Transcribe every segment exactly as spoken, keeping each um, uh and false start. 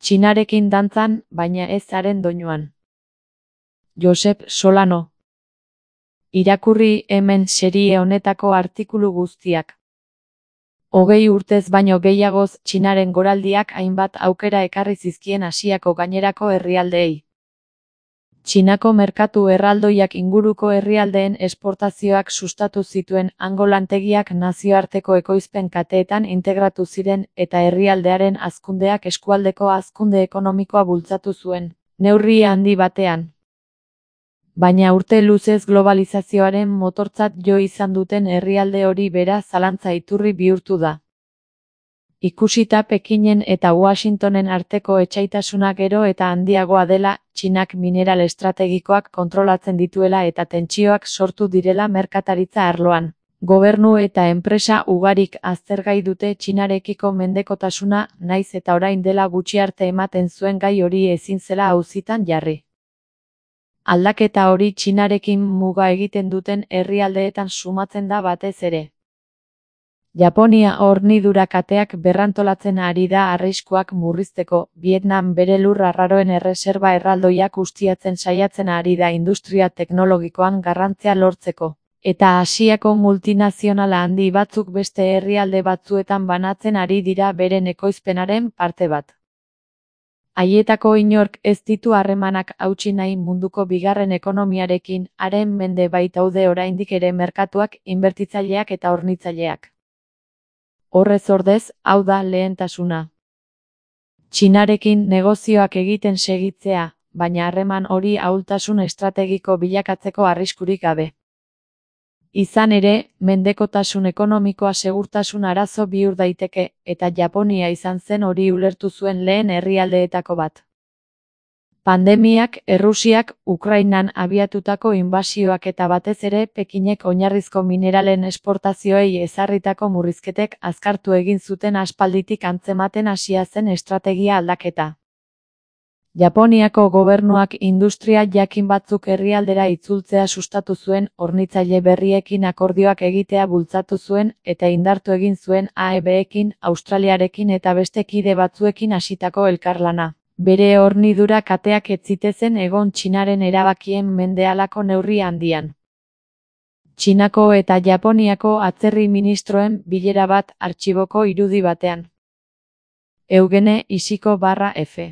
Txinarekin dantzan, baina ez haren doinuan. Josep Solano. Irakurri hemen serie honetako artikulu guztiak. Hogei urtez baino gehiagoz Txinaren goraldiak hainbat aukera ekarri zizkien Asiako gainerako herrialdeei. Txinako merkatu erraldoiak inguruko herrialdeen esportazioak sustatu zituen, hango lantegiak nazioarteko ekoizpen kateetan integratu ziren eta herrialdearen hazkundeak eskualdeko hazkunde ekonomikoa bultzatu zuen, neurri handi batean. Baina urte luzez globalizazioaren motortzat jo izan duten herrialde hori bera zalantza iturri bihurtu da. Ikusita Pekinen eta Washingtonen arteko etsaitasuna gero eta handiagoa dela, Txinak mineral estrategikoak kontrolatzen dituela eta tentsioak sortu direla merkataritza arloan. Gobernu eta enpresa ugarik aztergai dute Txinarekiko mendekotasuna, naiz eta orain dela gutxi arte ematen zuen gai hori ezin zela auzitan jarri. Aldaketa hori Txinarekin muga egiten duten herrialdeetan sumatzen da batez ere. Japonia hornidura kateak berrantolatzen ari da arriskuak murrizteko, Vietnam bere lur arraroen erreserba erraldoiak ustiatzen saiatzen ari da industria teknologikoan garrantzia lortzeko, eta Asiako multinazionala handi batzuk beste herrialde batzuetan banatzen ari dira beren ekoizpenaren parte bat. Haietako inork ez ditu harremanak hautsi nahi munduko bigarren ekonomiarekin, haren mende baitaude oraindik ere merkatuak, inbertitzaileak eta hornitzaileak. Horrez ordez, hau da lehentasuna. Txinarekin negozioak egiten segitzea, baina harreman hori ahultasun estrategiko bilakatzeko arriskurik gabe. Izan ere, mendekotasun ekonomikoa segurtasun arazo bihur daiteke, eta Japonia izan zen hori ulertu zuen lehen herrialdeetako bat. Pandemiak, Errusiak, Ukrainan abiatutako inbasioak eta batez ere Pekinek oinarrizko mineralen esportazioei ezarritako murrizketek azkartu egin zuten aspalditik antzematen hasia zen estrategia aldaketa. Japoniako gobernuak industria jakin batzuk herrialdera itzultzea sustatu zuen, hornitzaile berriekin akordioak egitea bultzatu zuen eta indartu egin zuen A E B-ekin, Australiarekin eta beste kide batzuekin hasitako elkarlana. Bere hornidura kateak ez zitezen egon Txinaren erabakien mende halako neurri handian. Txinako eta Japoniako atzerri ministroen bilera bat artxiboko irudi batean. Eugene Ishiko barra F.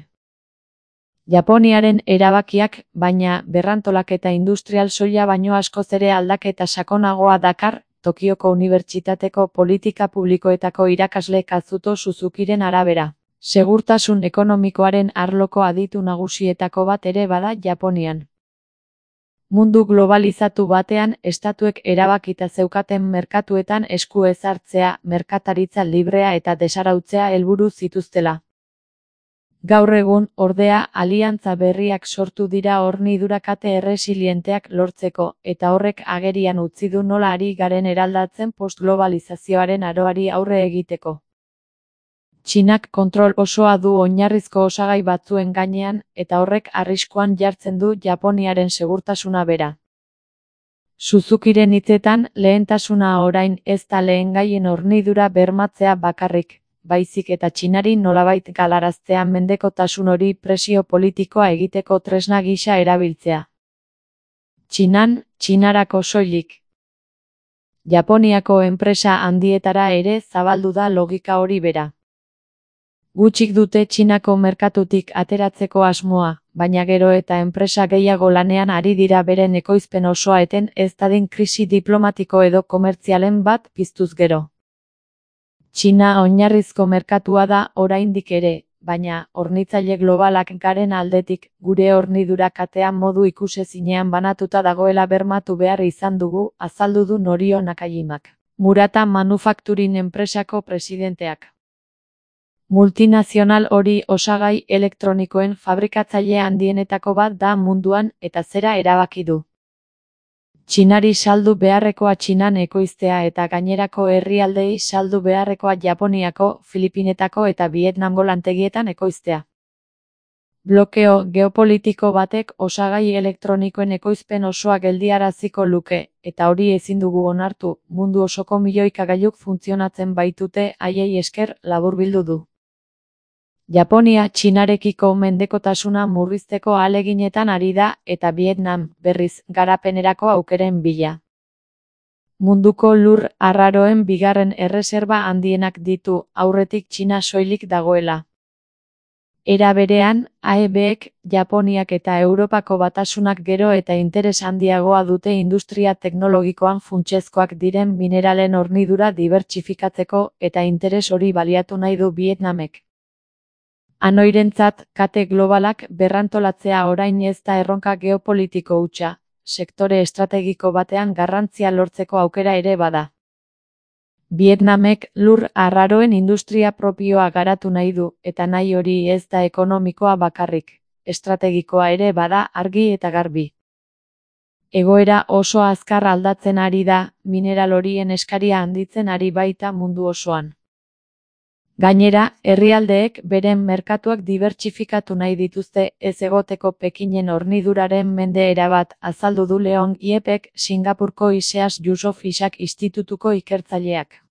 Japoniaren erabakiak, baina berrantolaketa industrial soila baino askoz ere aldaketa sakonagoa dakar, Tokioko Unibertsitateko politika publikoetako irakasle Kazuto Suzukiren arabera. Segurtasun ekonomikoaren arloko aditu nagusietako bat ere bada Japonian. Mundu globalizatu batean, estatuek erabakita zeukaten merkatuetan esku ezartzea, merkataritza librea eta desarautzea helburu zituztela. Gaur egun, ordea, aliantza berriak sortu dira hornidura kate erresilienteak lortzeko, eta horrek agerian utzi du nola ari garen eraldatzen postglobalizazioaren aroari aurre egiteko. Txinak kontrol osoa du oinarrizko osagai batzuen gainean, eta horrek arriskuan jartzen du Japoniaren segurtasuna bera. Suzukiren hitzetan, lehentasuna orain ez da lehengaien hornidura bermatzea bakarrik, baizik eta Txinari nolabait galaraztea mendekotasun hori presio politikoa egiteko tresna gisa erabiltzea. Txinan, Txinarako soilik. Japoniako enpresa handietara ere zabaldu da logika hori bera. Gutxik dute Txinako merkatutik ateratzeko asmoa, baina gero eta enpresa gehiago lanean ari dira beren ekoizpen osoa eten ez dadin krisi diplomatiko edo komertzialen bat piztuz gero. Txina oinarrizko merkatua da oraindik ere, baina hornitzaile globalak garen aldetik, gure hornidura katea modu ikusezinean banatuta dagoela bermatu behar izan dugu, azaldu du Norio Nakajimak, Murata Manufacturing enpresako presidenteak. Multinazional hori osagai elektronikoen fabrikatzaile handienetako bat da munduan eta zera erabaki du. Txinari saldu beharrekoa Txinan ekoiztea eta gainerako herrialdeei saldu beharrekoa Japoniako, Filipinetako eta Vietnamgo lantegietan ekoiztea. Blokeo geopolitiko batek osagai elektronikoen ekoizpen osoa geldiaraziko luke, eta hori ezin dugu onartu, mundu osoko milioika gailuk funtzionatzen baitute haiei esker laburbildu du. Japonia Txinarekiko mendekotasuna murrizteko ahaleginetan ari da eta Vietnam, berriz, garapenerako aukeren bila. Munduko lur arraroen bigarren erreserba handienak ditu, aurretik Txina soilik dagoela. Era berean, A E Bek, Japoniak eta Europako batasunak gero eta interes handiagoa dute industria teknologikoan funtsezkoak diren mineralen hornidura dibertsifikatzeko eta interes hori baliatu nahi du Vietnamek. Hanoirentzat, kate globalak berrantolatzea orain ez da erronka geopolitiko hutsa, sektore estrategiko batean garrantzia lortzeko aukera ere bada. Vietnamek lur arraroen industria propioa garatu nahi du, eta nahi hori ez da ekonomikoa bakarrik, estrategikoa ere bada argi eta garbi. Egoera oso azkar aldatzen ari da, mineral horien eskaria handitzen ari baita mundu osoan. Gainera, herrialdeek beren merkatuak dibertsifikatu nahi dituzte ez egoteko Pekinen horniduraren mende erabat, azaldu du Leon Iepek, Singapurko Iseas Yusof Ishak Institutuko ikertzaileak.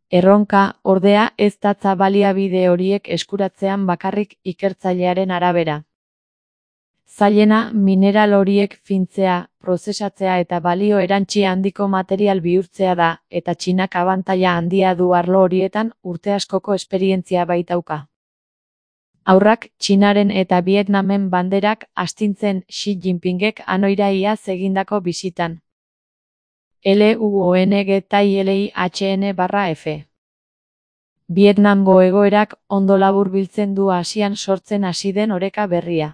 Erronka, ordea, ez datza baliabide horiek eskuratzean bakarrik ikertzailearen arabera. Zailena, mineral horiek fintzea, prozesatzea eta balio erantsi handiko material bihurtzea da, eta Txinak abantaila handia du arlo horietan urte askoko esperientzia baitauka. Aurrak, Txinaren eta Vietnamen banderak astintzen Xi Jinpingek Hanoira iaz egindako bisitan. L U O N G T I L I H N barra F. Vietnamgo egoerak ondo laburbiltzen du Asian sortzen hasi den oreka berria.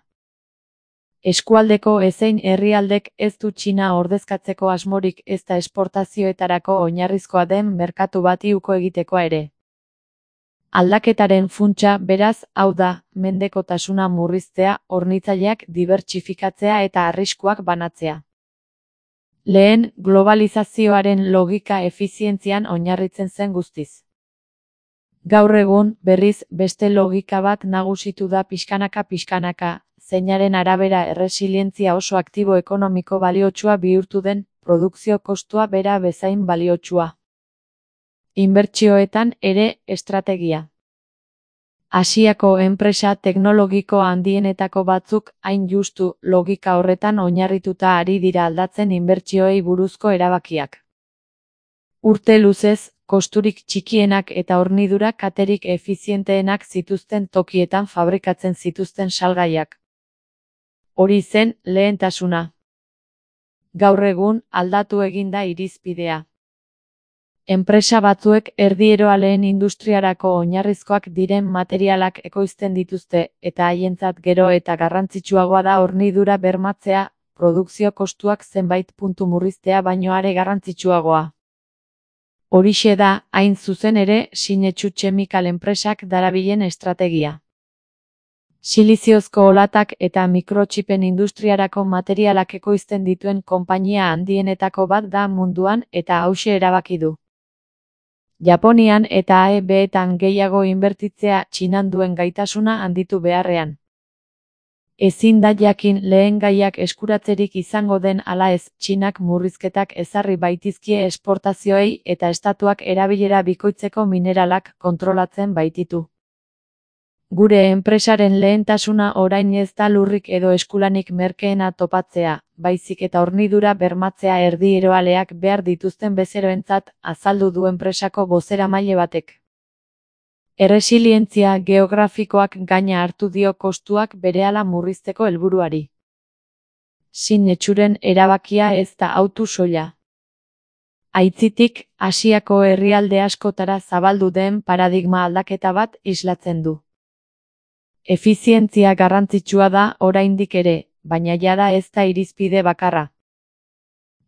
Eskualdeko ezein herrialdek ez du Txina ordezkatzeko asmorik ezta esportazioetarako oinarrizkoa den merkatu bati uko egitekoa ere. Aldaketaren funtsa, beraz, hau da, mendekotasuna murriztea, hornitzaileak dibertsifikatzea eta arriskuak banatzea. Lehen, globalizazioaren logika efizientzian oinarritzen zen guztiz. Gaur egun, berriz, beste logika bat nagusitu da pixkanaka-pixkanaka, zeinaren arabera erresilientzia oso aktibo ekonomiko baliotsua bihurtu den, produkzio kostua bera bezain baliotsua. Inbertsioetan ere estrategia. Asiako enpresa teknologiko handienetako batzuk hain justu logika horretan oinarrituta ari dira aldatzen inbertsioei buruzko erabakiak. Urte luzez, kosturik txikienak eta hornidura katerik efizienteenak zituzten tokietan fabrikatzen zituzten salgaiak. Hori zen lehentasuna. Gaur egun aldatu egin da irizpidea. Enpresa batzuek erdieroa lehen industriarako oinarrizkoak diren materialak ekoizten dituzte eta haientzat gero eta garrantzitsuagoa da hornidura bermatzea, produkzio kostuak zenbait puntu murriztea baino are garrantzitsuagoa. Horixe da, hain zuzen ere, Sinetsu Chemical enpresak darabilen estrategia. Siliziozko olatak eta mikrotxipen industriarako materialak ekoizten dituen konpainia handienetako bat da munduan eta hauxe erabaki du. Japonian eta A E Beetan gehiago inbertitzea Txinan duen gaitasuna handitu beharrean. Ezin da jakin lehen gaiak eskuratzerik izango den ala ez, Txinak murrizketak ezarri baitizkie esportazioei eta estatuak erabilera bikoitzeko mineralak kontrolatzen baititu. Gure enpresaren lehentasuna orain ez da lurrik edo eskulanik merkeena topatzea, baizik eta hornidura bermatzea erdieroaleak behar dituzten bezeroentzat, azaldu du enpresako bozeramaile batek. Erresilientzia geografikoak gaina hartu dio kostuak berehala murrizteko helburuari. Sinetsuren erabakia ez da autu soila. Aitzitik, Asiako herrialde askotara zabaldu den paradigma aldaketa bat islatzen du. Efizientzia garrantzitsua da oraindik ere, baina jada ez da irizpide bakarra.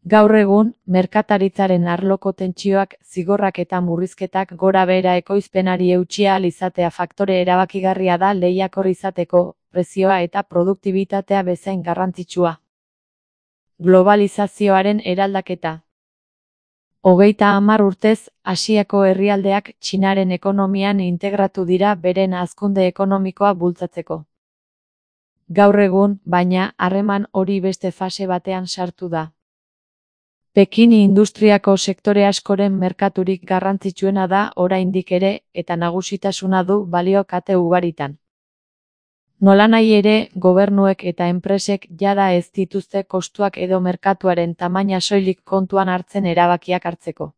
Gaur egun, merkataritzaren arloko tentsioak, zigorrak eta murrizketak gora behera ekoizpenari eutsi ahal izatea faktore erabakigarria da lehiakor izateko, prezioa eta produktibitatea bezain garrantzitsua. Globalizazioaren eraldaketa. Hogeita hamar urtez, Asiako herrialdeak Txinaren ekonomian integratu dira beren hazkunde ekonomikoa bultzatzeko. Gaur egun, baina, harreman hori beste fase batean sartu da. Pekin industriako sektore askoren merkaturik garrantzitsuena da oraindik ere eta nagusitasuna du balio kate ugaritan. Nolanahi ere, gobernuek eta enpresek jada ez dituzte kostuak edo merkatuaren tamaina soilik kontuan hartzen erabakiak hartzeko.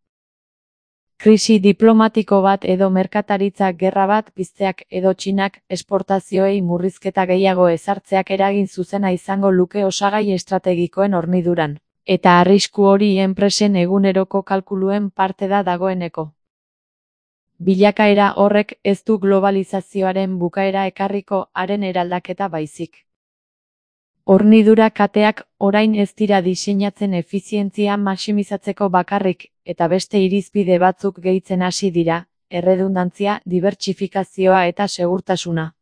Krisi diplomatiko bat edo merkataritza gerra bat pizteak edo Txinak esportazioei murrizketa gehiago ezartzeak eragin zuzena izango luke osagai estrategikoen horniduran, eta arrisku hori enpresen eguneroko kalkuluen parte da dagoeneko. Bilakaera horrek ez du globalizazioaren bukaera ekarriko haren eraldaketa baizik. Hornidura kateak orain ez dira diseinatzen efizientzia maximizatzeko bakarrik, eta beste irizpide batzuk gehitzen hasi dira, erredundantzia, dibertsifikazioa eta segurtasuna.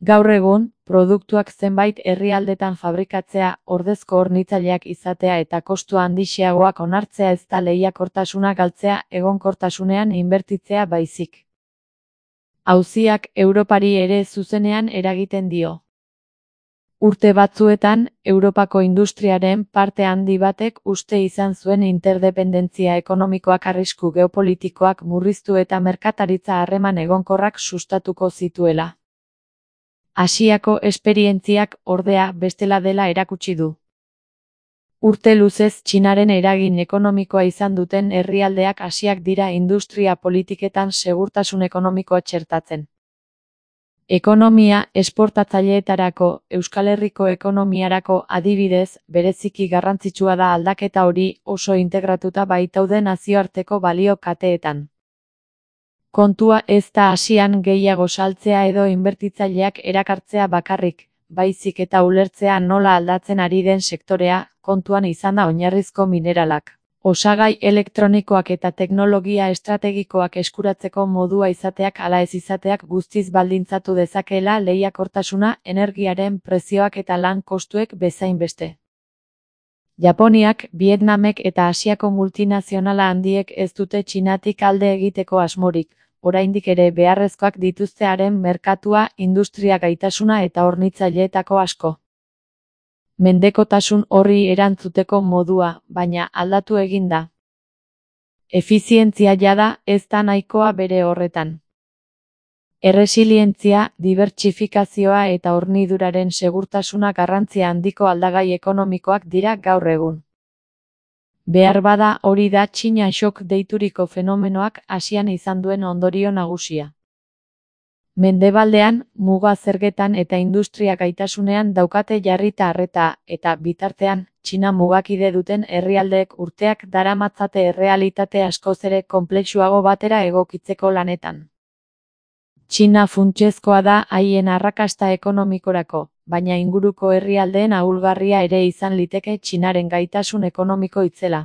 Gaur egun, produktuak zenbait herrialdetan fabrikatzea, ordezko hornitzaileak izatea eta kostu handixeagoak onartzea ez da lehiakortasuna galtzea egonkortasunean inbertitzea baizik. Auziak Europari ere zuzenean eragiten dio. Urte batzuetan, Europako industriaren parte handi batek uste izan zuen interdependentzia ekonomikoak arrisku geopolitikoak murriztu eta merkataritza harreman egonkorrak sustatuko zituela. Asiako esperientziak ordea bestela dela erakutsi du. Urte luzez Txinaren eragin ekonomikoa izan duten herrialdeak Asiak dira industria politiketan segurtasun ekonomikoa txertatzen. Ekonomia esportatzaileetarako, Euskal Herriko ekonomiarako adibidez, bereziki garrantzitsua da aldaketa hori oso integratuta baitaude nazioarteko balio kateetan. Kontua ez da Asian gehiago saltzea edo inbertitzaileak erakartzea bakarrik, baizik eta ulertzea nola aldatzen ari den sektorea, kontuan izanda oinarrizko mineralak, osagai elektronikoak eta teknologia estrategikoak eskuratzeko modua izateak ala ez izateak guztiz baldintzatu dezakeela lehiakortasuna, energiaren prezioak eta lan kostuek bezain beste. Japoniak, Vietnamek eta Asiako multinazionala handiek ez dute Txinatik alde egiteko asmorik, oraindik ere beharrezkoak dituztearen merkatua, industria gaitasuna eta hornitzaileetako asko. Mendekotasun horri erantzuteko modua, baina aldatu egin da. Efizientzia jada ez da nahikoa bere horretan. Erresilientzia, dibertsifikazioa eta horniduraren segurtasuna garrantzia handiko aldagai ekonomikoak dira gaur egun. Behar bada hori da Txina shock deituriko fenomenoak Asian izan duen ondorio nagusia. Mendebaldean, muga zergetan eta industria gaitasunean daukate jarrita arreta, eta bitartean, Txina mugakide duten herrialdeek urteak daramatzate errealitate askoz ere konplexuago batera egokitzeko lanetan. Txina funtsezkoa da haien arrakasta ekonomikorako, baina inguruko herrialdeen ahulgarria ere izan liteke Txinaren gaitasun ekonomiko itzela.